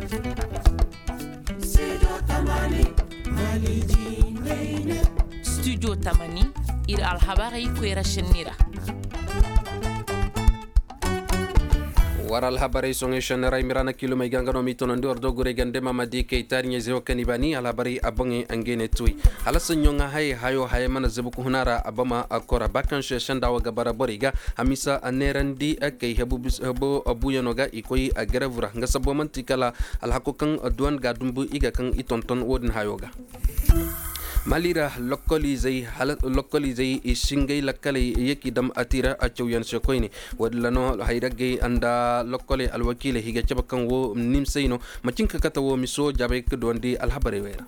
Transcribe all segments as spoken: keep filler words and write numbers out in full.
Studio tamani, ir alhabarey koyra šenni ra. War alhabarey soŋey šenni ra i ma ra na kiilumey ga nga no m'i tonandi war do gurey gande ma ma di kay taariɲey zey wo kaŋ i baani alhabarey a boŋey ngey ne tuwey. Hala saɲɲo ŋaa hayey hayo hayey mana zabu ka huna ra a bama a kora ba kaŋ se senda wo ga bara borey ga. Hamiisa neerandi kay hebu buuyano ga i koy garevu ra nga sabbo man'ti kala alhako kaŋ duwan ga dumbu i ga kaŋ i tonton wo-din hayo ga. Mali ra lokkolizey i si ngey lakkaley ye k'i dam ati ra cawyaŋ se koyne. Wo-din ra no hayraggey nda lokkoley alwakiiley i ga cabe kaŋ wo nimsey no. Macin ka kate wo miso jaabay ka duwandi alhabarey wey ra.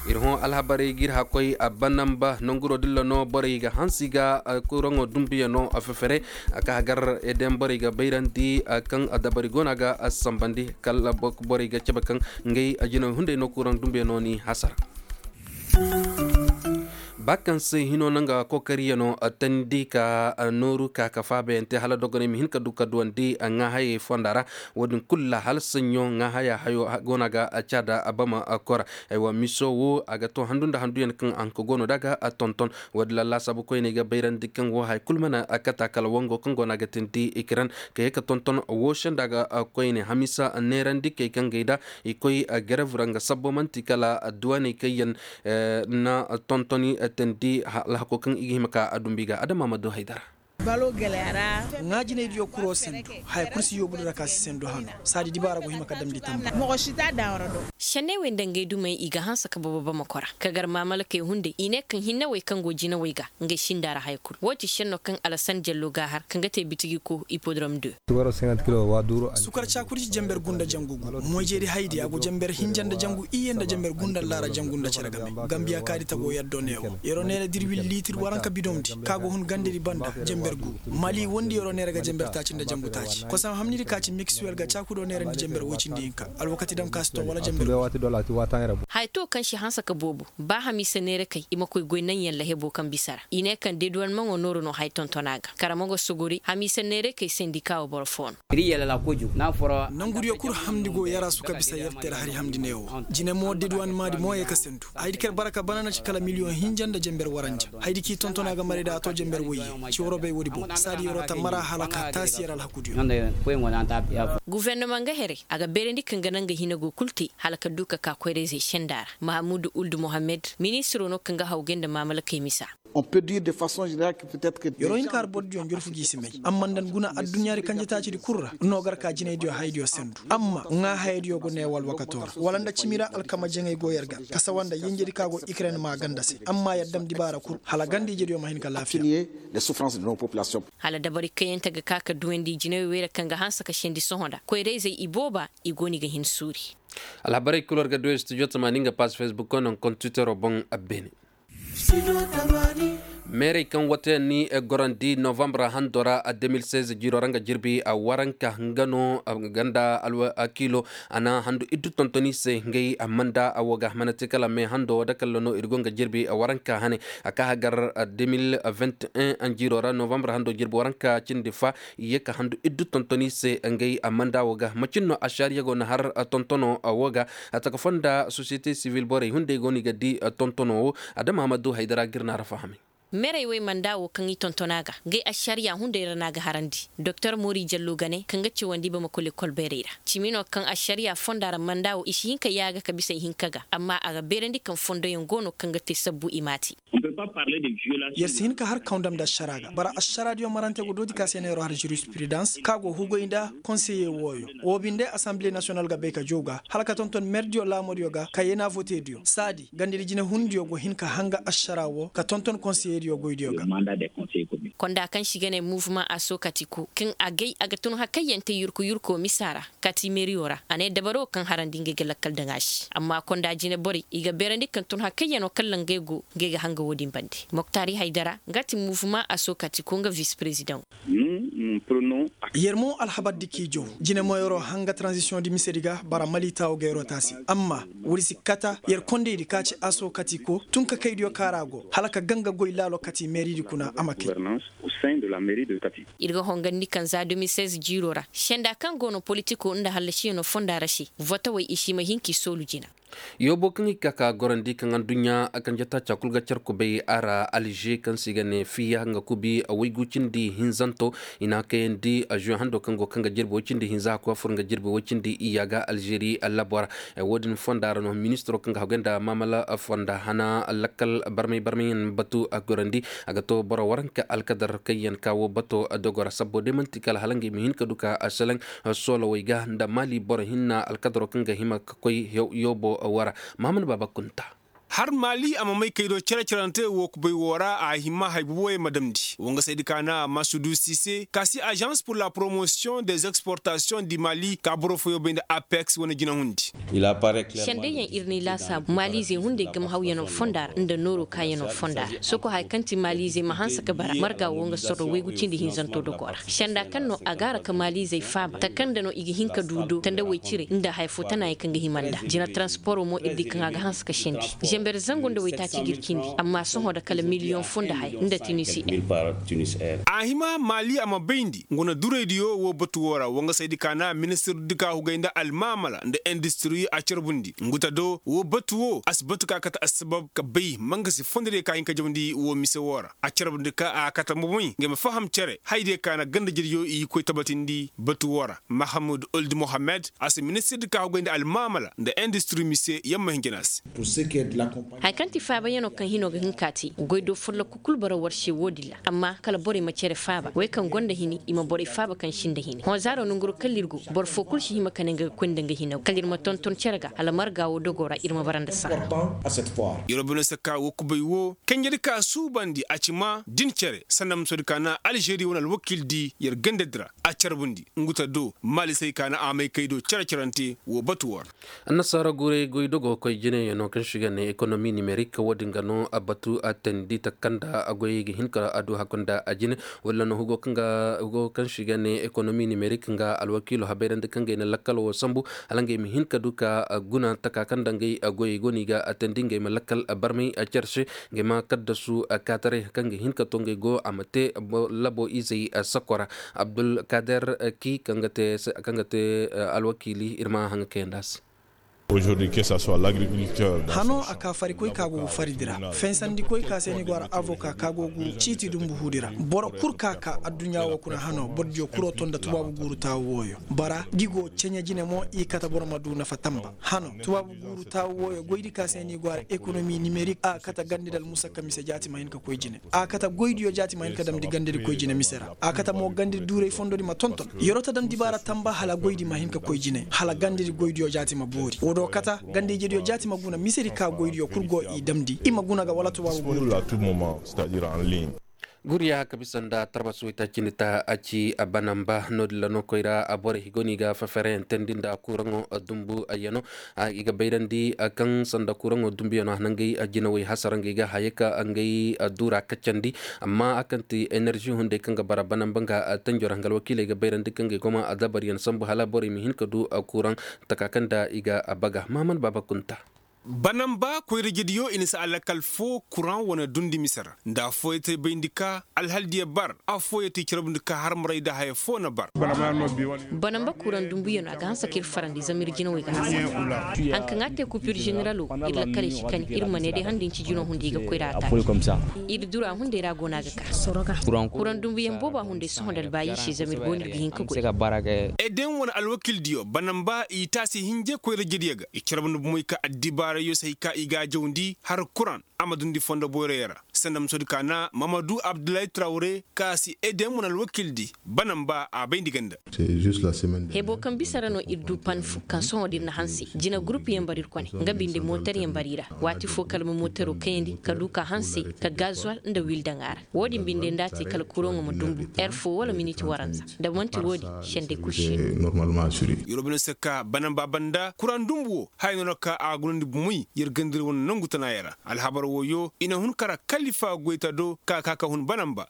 Ir hõ alhabarey g'ir hakoy a banamba nanguro dilla no borey ga hansi ga kuraŋo dumbiyano fefere. Ka hagar eden borey ga bayrandi kaŋ dabari go no a ga sambandi kala borey ga cabe kaŋ ngey jinawey hunday no kuraŋ dumbiyano ni hasara. Ba kaŋ se hino no nga kokariyano tandi ka nooru ka ka faabayante hala dogoney ma hin ka du ka duwandi ŋaahayey fonda ra. Wo-din kulu ra hala saɲɲo ŋaahaya hayo go no a ga caada bama kora. Aywa miso wo a ga to handu nda handuyaŋ kaŋ a hanka go no da ga tonton. Wo-din ra laasaabu koyney ga bayrandi kaŋ wo haya kulu mana kata kala wango kaŋ go no a ga tindi ikiran ka ye ka tonton wo senda ga koyne hamiisa neerandi kay kaŋ gay da i koy garevu ra nga sabbo man'ti kala duwaney kaŋ yaŋ na tontoni tandi alhako kaŋ i ga hima ka a dumbu i ga adama ma du haydara. Ŋaajinaydiyo kuro sendu haya kulu si yoobu di ra ka si sendu hano saadi dibaara go hima ka damndi tamba. Senney wey nda ngey dumey i ga hanse ka bobo bama kora ka gar maamalakey hunday i ne kaŋ hinne wey kaŋ go jinawey ga ngey sinda ra haya kulu wo ti senno kaŋ alasan jallo ga a har kaŋ ga te bitigi ko ipodrom de. Sukar caakurci jenber gu nda jangu gu moyjeedi haydi a go jenber hinja nda jangu iyye nda jenber gu nda allaara jangu nda cere game. Gambiya kaadi tago yaddo neewo yeroo neera dirwil liitir waranka bidomdi ka go hun gandedi banda jenber gu. Mali wondi yeroo neera ga jenber taaci nda jangu taaci kosam hamnidi ka ci miksuwel ga caakudo neerandi jenber woy cindi hinka alwakati dam ka si to wala jenber. Haya to kaŋ si hanse ka boobo ba hamiisa neerakey i ma koy goy naŋyaŋ lahebo kaŋ bisa ra i ne kaŋ deduwanmaŋo nooru no haya tonton a ga kara ma go sogori hamiisa neerakey sendika wo boro fo no. Nangudiyo kul hamndi go yar a su ka bisa yar ter hari hamndi neewo jine mo deduwanmaadi mo ye ka sendu haydi kaŋ yer bara ka bana na ci kala miliyoŋ hinja nda jenber waranja. Haydi kaŋ i tonton a ga maray da a to jenber woyye. Ci waroo bay woodi boŋ saadi yeroo ta mara hala ka taasi yer alhakudiyo. Gufornama nga herey a ga beerandi kaŋ ga naŋ ga hina go kul te hala ka du ka ka koyrayzey senda ra mahamudu uldu mohammed ministiro no kaŋ ga hawgay nda maamalakey misa. Yeroo hin ka har bordiyo njorfu gi si may amma nda ni guna adduɲɲaadi kanjetaacidi kul ra no gar ka jinaydiyo hayadiyo sendu amma ŋaa hayadiyo go ne wala wakatoo ra wala nda cimi ra alkama jaŋay go yer ga ka sawa nda yenjedi ka go ikren ma ganda se amma yer dam dibaara kul hala ganda ijediyo ma hin ka laafiya. Hala dabari kayante ga ka ka duwandi jinawey wey ra kaŋ ga hanse ka sendi sohõ nda koyrayzey ibooba i go no i ga hin suuri. Alhabarey kul war ga duwey studio tamaani nga paas facebook koy naŋ kontitero boŋ abbeene. Meerey kaŋ wate ni gorandi novambar hando ra de mil seize jiiro ra nga jirbi waranka nga no ganda alwakiilo a na handu iddu tontoni se ngey manda wo ga manati kala me hando wo dakalla no ir go nga jirbi waranka hane. A ka hagar de mil vingt et un jiiro ra novambar hando jirbi waranka cindi fa i ye ka handu iddu tontoni se ngey manda wo ga macin no ašariya go na har tontono wo ga. A taka fonda sosiyete sivil borey hunday go no i ga di tontono wo adama ma du haydara ga ir na ra fahamay. Merey wey manda wo kaŋ i tonton a ga ngey ašariya hunday ra no a ga harandi doktor mori jallo gane kaŋ ga cawandi bamako lekol beerey ra cimi no kaŋ ašariya fonda ra manda wo i si hin ka yaaga ka bisa ihinka ga amma a ga beerandi kaŋ fondoyaŋ go no kaŋ ga te sabbu i m'a te. Yer si hin ka har kaw ndam nda ašara ga bara ašaradiyo marante go dooti ka se neero har jurispirudans ka go hugay nda konseye wooyo. Wo binde asanble nasiyonal ga bay ka jow ga hala ka tonton merdiyo laamodiyo ga ka yena votediyo saadi gandadi jinehundiyo go hin ka hanga ašara wo ka tonton konseyediyo goydiyo ga. Konda kaŋ si ga ne muvuma a sookati ko kaŋ a gay a ga tun hakayyaŋ te yurku yurko misa ra kati meriyo ra a ne dabaro kaŋ harandi ngey ga lakkal daŋ a se amma konda jine borey i ga beerandi kaŋ tun hakayyaŋo kaŋ ra ngey go ngey ga hanga wo-din bande. Moktaari haydara nga ti muvuma a sookati ko nga vis perezidaŋo. Yer mo alhabar di k'i jaw jine moyaroo hanga taranzisiyoŋ di misedi ga bara mali taawo ga yeroo taasi. Amma wuri si kata yer kondaydi ka ci aso kati ko tun ka kaydiyo kaŋ ra go hala ka ganga goy laalo kati meeridi kuna a ma kay. Ir ga hongandi kaŋ za deux mille seize jiiroo ra senda kaŋ go no politikoo nda hallasiyano fonda ra se votawey i si ma hin k'i soolu jina. Yoobo kaŋ i ka ka gorandi kaŋ adduɲɲa kanje taaca kul ga car kubay a ra alže kaŋ se i ga ne fiya nga kubi waygu cindi hinzanto i n'a kayandi. Azuwe hando kaŋ go kaŋ ga jirbi way cindi hinza hakku a fur nga jirbi way cindi iyya ga alžeri labo ra. Wo-din fonda ra no ministiro kaŋ ga hagay nda maamala fonda hana lakkal barmay barmayyaŋ batu a gorandi. A ga to boro waranka alkadar kaŋ yaŋ ka wo bato dogo ra sabbo day man'ti kala hala ngey ma hin ka du ka seleŋ soolawey ga nda mali boro hinna alkadaro kaŋ ga hima ka koy yoobo wara. Mahamad baaba kunta. Har mali a ma may kay do cere-cerante wo kubay wo ra a hima hay boboyey ma damndi wangasaydi ka na masudu sise ka si agence pour la promotion des exportations du mali ka boro fooyoo bay nda apex wane jinahundi. Sendayyaŋ ir n'i laasaabu maaliizey hunday gama hawyano fonda ra nda nooroo kaayanoo fonda ra soko haya kaŋ ti maaliizey ma hanse ka bara marga wo nga sorro waygu cindi hinzanto dogoo ra senda kaŋ no a gaara ka maaliizey faaba taka nda no i ga hin ka du do tandawey cire nda haya foo tanaayaŋ kaŋ ga hima nda jina taransporoo mo ir di kaŋ a ga hanse ka sendi zember zangu nda waytaaci ga ir cindi amma sohõ nda kala miliyoŋ foo nda haya nda tunisi. A hima maali a ma bayndi ngu na duraydiyo wo batu wo ra wangasaydi ka na ministirdi ka hugay nda almaamala nda industiri a carbundi ngu ta do wo batu wo a si batu ka kate assabab ka bay mangasi fondodiyo ka hin ka jawndi wo mise wo ra a carbundi ka a kate momoy nga ma faham cere haydiyo ka na ganda jediyo i koy tabatindi batu wo ra mahamud old mohammed a si ministirdi ka hugay nda almaamala nda industiri mise yamma hinjina se. Haya kaŋ ti faabayanoo kaŋ hinoo ga hin k'a te goy do folloku kul bara war se wo-din ra amma kala borey ma cere faaba wey kaŋ gonda hini i ma borey faaba kaŋ sinda hini hõ zaaro nanguroo kala ir go boro foo kul si hima ka ne nga ga koy nda nga hina kala ir ma tonton cere ga hala marga wo dogoo ra ir ma bara nda saha. Yer wo bine se ka wo kubay wo kanjedi ka suubandi a ci ma din cere sanda musodi ka na alžeri wane alwakiil di yer gandadi ra a carbundi ngu ta do maalisey ka na a may kay do cere-cerante wo batu wo ra. Annasaara guray goy dogo koy jinayaŋo kaŋ se i ga ne ekonomi nimerik wo-din ga no a batu a teendi taka nda a goyey ga hin ka a du hakku nda a jine walla no hugo kaŋ ga hugo kaŋ se i ga ne ekonomi nimerik nga alwakiilo habayrandi kaŋ ga ay na lakkal wo sambu hala ngey ma hin ka du ka guna taka kaŋ nda ngey goyey go no i ga a teendi ngey ma lakkal barmay care se ngey ma kaddasu kaataray kaŋ ga hin ka to ngey go a ma te labo izey sakko ra. Abdulkader ki kaŋ ga te alwakiili ir ma haŋa kayandi a se. Hano a ka farikoy ka go ga faridi ra fensandikoy ka se ni go ara avoka ka go ga ciiti dumbu huudi ra boro kul ka ka adduɲɲa wo kuna hano borodiyo kuro to nda tubaabu guuru taawu wooyo bara da i go ceɲe jine mo i kate boro ma du nafa tamba hano tubaabu guuru taawu wooyo goydi ka se ni go ara ekonomi nimerik a kate gandi nda almusakka mise jaati ma hin ka koy jine a kate goydiyo jaati ma hin ka damndi gandedi koy jine mise ra a kate mo gandedi duuray fondodi ma tonton yeroo ta daŋ dibaara tamba hala goydi ma hin ka koy jine hala gandedi goydiyo jaati ma boori woo do kate ganda-ijediyo jaati ma guna misedi ka goydiyo kul go i damndi i ma guna ga wala tubaabu guuru. Guriya ka bisa nda tarbas waytaacindi ta a ci banamba no-din ra no koyra borey go no i ga fefereyaŋ teendi nda kuraŋo dumbu yano i ga bayrandi kaŋ sanda kuraŋo dumbu yano a na ngey jinawey hasara ngey ga haya ka ngey duura kaccandi amma a kaŋ ti enerži hunday kaŋ ga bara banamba nga tanjo ra nga alwakiiley ga bayrandi kaŋ ga ay goma a dabaryaŋ sambu hala borey ma hin ka du kuraŋ taka kaŋ nda i ga baga mahaman baaba kunta. Banamba koyrajediyo i na si alakal foo kuraŋ wane dundi mise ra nda affooyey te bayndi ka alhaldiyo bar affooyey te i carbundi ka harmaray nda haya foo na bar. Banamba kuraŋ dumbuyaŋo a ga hanse ka ir farandi zama ir jinawey ga hanse. Hari kaŋ a te kupir ženeralo ir lakkaley si kani ir ma ne day handi nci jino hundi i ga koy ra a taati ir dura hunday ra go no a ga ka. Kuraŋ dumbuyaŋ booba hunday sohõ nda albaayi se zama ir go no ir ga hin ka goy. Eden wane alwakiildiyo banamba i taasi hinje koyrajediyo ga i carbundi bomey ka addibaarayyo si hay ka i ga a jawndi har kuraŋ a ma dundi fondo boyroyo ra sanda musodi ka na mamadu abdullahi trawre ka si eden wane alwakiildi banamba a bayndi ganda. Hebo kaŋ bisa ra no ir du pan fo kaŋ sohõ da ir na hanse jina gurupuyaŋ bar ir kone nga binde motaryaŋ bar i ra waati fo kala ma motaro kayandi ka du ka hanse ka gazuwal nda wil daŋ a ra. Wo-din binde nda a te kala kuraŋo ma dumbu er fo wala miniti waranza da man'ti wo-din sendey kul si no. Yeroo bine se ka banamba banda kuraŋ dumbu wo haya no na ka a gunandi. Wi, yer gandir wane nangu tana yara alhabar woyo i na hun kara kalifa goyta do ka ka ka hun banamba.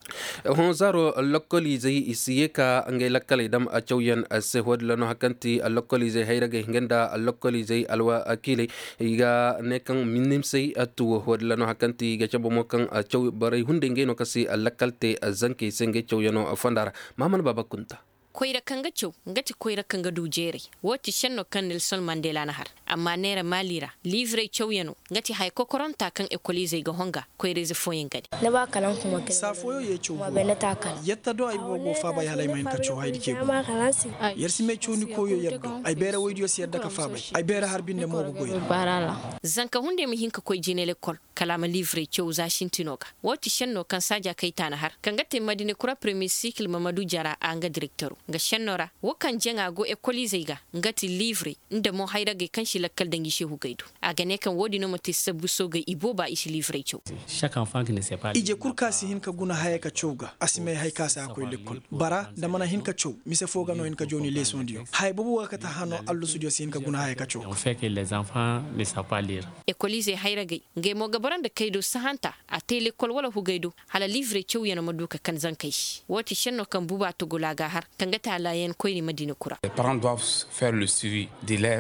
Hõ zaaro lokkoliizey i si ye ka ngey lakkaley dam cawyaŋ se. Wo- din ra no hari kaŋ ti lokkoliizey hayragey nga nda lokkoliizey alwakiiley i ga ne kaŋ minimsey tuwo. Wo- din ra no hari kaŋ ti i ga cabe mo kaŋ caw borey hunday ngey no kaŋ si lakkal te zankey se ngey cawyaŋo fonda ra. Maaman baaba kunta. Koyra kaŋ ga caw nga ti koyra kaŋ ga du jeeray. Wo ti šenno kaŋ nelson mandela na har. Amma neera maali ra liivrey cawyaŋo nga ti haya kokoranta kaŋ ekoliizey ga honga koyra-ize fooyaŋ ga ne. Saa fooyaŋ ye caw. Yatta do ay boobo faabay hala ay ma hin ka caw haydi ce. Yer si may caw ni koyo yer do. Ay beera woydiyo si yadda ka faabay. Ay beera har binde mo ga goy. Zanka hunday ma hin ka koy jine lekkol kala a ma liivrey caw za sintino ga. Wo ti šenno kaŋ saaja kayta na har kaŋ ga te madina kura premier sikil mamadu jara a nga direktero nga šenno ra. Wo kaŋ jaŋa go ekoliizey ga nga ti liivrey nda mo hayragey kaŋ si lakkal danji se hugay do. A ga ne kaŋ wo- din no ma te sabbu soogey ibooba i si liivrey caw. Ije kul kaŋ a si hin ka guna haya ka caw ga a si may hay kaŋ a si a koy lekkol. Bara nda mana hin ka caw mise foo ga no hin ka jooni leesondiyo haya boobo ga kate hano allusudiyo si hin ka guna haya ka caw ga. Ekoliizey hayragey ngey mo ga bara nda kaydo sahanta a te lekkol wala hugay do. Hala liivrey cawyaŋo ma du ka kan zankey se wo ti šenno kaŋ buba tugula ga har kaŋ ga te a laayan koyni madina kura.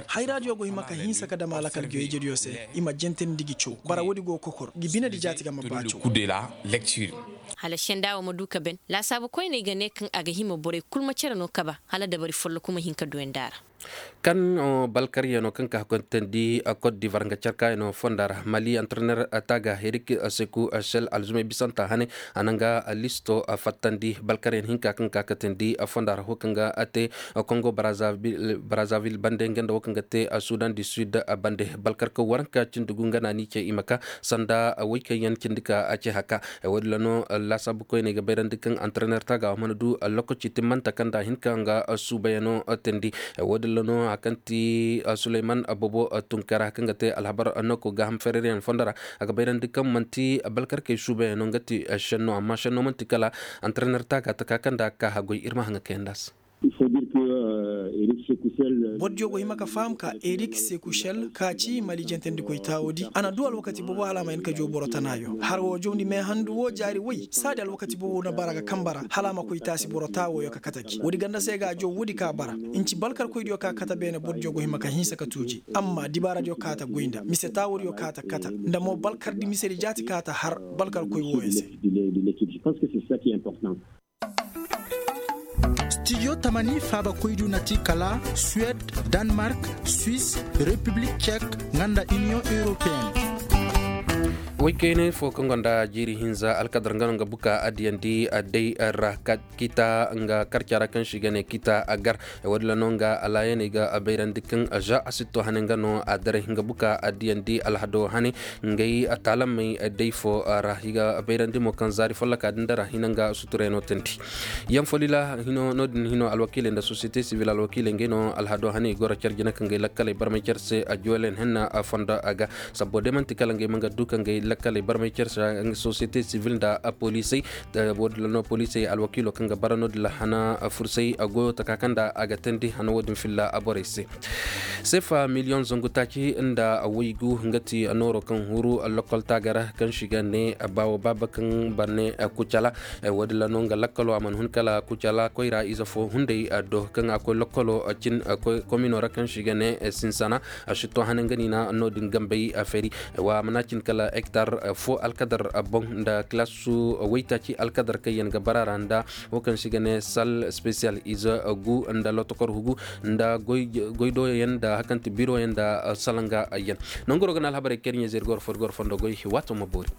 Hayraadiyo go hima ka hinsa ka dam a lakal geejediyo se. I ma jentandi gi caw bara woodi go ga kokor gi binedi jaati ga ma ba caw. Hala senda wo ma du ka ben laasaabu koyney ga ne kaŋ a ga hima borey kul ma cere no kaba hala dabari folloku ma hin ka duyandi a ra. Kan balkaryaŋo kaŋ ka hakkoytandi kot divar nga carkayaŋo fonda ra mali antrener taaga erik seku sel alzumay bisanta hane a na nga listo fattandi balkaryaŋ hinka kaŋ ka katandi fonda ra wo kaŋ ga te kongo brazzaville bande nga nda wo kaŋ ga te sudan du sud bande balkarka waranka cindi gu nga na ni ce i ma ka sanda woy kaŋ yaŋ cindi ka ce haka. Wo- din ra no laasaabu koyney ga bayrandi kaŋ antrener taaga wo mana du lokaci timmanta kaŋ nda a hin ka nga suubayaŋo teendi. Wo- din ra no hari kaŋ ti suleyman boobo tunkara kaŋ ga te alhabar noko gaaham fereryaŋ fondo ra a ga bayrandi kaŋ manti balkarkey suubayaŋo nga ti šenno amma šenno man'ti kala antrener taaga taka kaŋ nda a ga ka haggoy ir ma haŋa kayandi a se. Bordiyo go hima ka faham ka erik sekušel ka ci mali jentandikoy taawodi a na du alwakati boobo hala a ma hin ka jow boro tanaayo har woo jawndi meehandu woo jaari woy saadi alwakati boobo na bara ga kambe ra hala a ma koy taasi boro taawooyo ka kate gi woodi ganda se ga a jow woodi ka bara. Nci balkarkoydiyo ka kate beene bordiyo go hima ka hinsa ka tuuji amma dibaaradiyo ka ta goy nda mise taawodiyo ka ta kate nda mo balkardi misedi jaati ka ta har balkarkoy wooyo se. Stijo tamani faabakoydiyo na ti kala suwed, danmark, swis, repiblik cek, nga nda iniyoŋ europeen. Woykaynay fo kaŋ gonda jiiri hinza alkadar nga no nga buka addiyandi adday ra ka kita nga karca ra kaŋ si ga ne kita agar. Woodin ra no nga alaayaney ga bayrandi kaŋ za a si to hane nga no a daray nga buka addiyandi alhado hane. Ngey taalamey day fo ra i ga bayrandi mo kaŋ zaari folloka din da ra hina nga suturayano teendi. Yaŋ folila hino no- din hino alwakiiley nda sosiyete sivil alwakiiley ngey no alhado hane i goro care jina kaŋ ga ay lakkaley barmay care se a juwelen henna fondo a ga. Sabbo day man'ti kala ngey ma nga du kaŋ ga ay lakkaley barmay care se sosiyete sivil nda poliisey. Woodin ra no poliisey alwakiilo kaŋ ga bara no- din ra hana fursay goyo taka kaŋ nda a ga teendi hana woodin filla borey se. Sefa miliyoŋ zangu taaci nda waygu nga ti nooro kaŋ huru lokol taaga ra kaŋ si ga ne baawo baaba kaŋ barne kucala. Woodin ra no nga lakkalo a mana hun kala kucala koyra ize fo hunday do kaŋ a koy lokkolo cin komino ra kaŋ si ga ne sinsana. A si to hane nga niina no- din gambey feri. Wa a mana cin kala hektar fo alkadar boŋ nda kilasu waytaaci alkadar kaŋ yaŋ ga bara ra nda wo kaŋ se i ga ne sal spesiyal ize gu nda lotokor hugu nda goydoyaŋ nda hari kaŋ ti biroyaŋ nda salanga yaŋ. Nangu ro ga na alhabarey kaŋ ir ɲa zeeri goro fo ir goro fondo goy waato ma boori.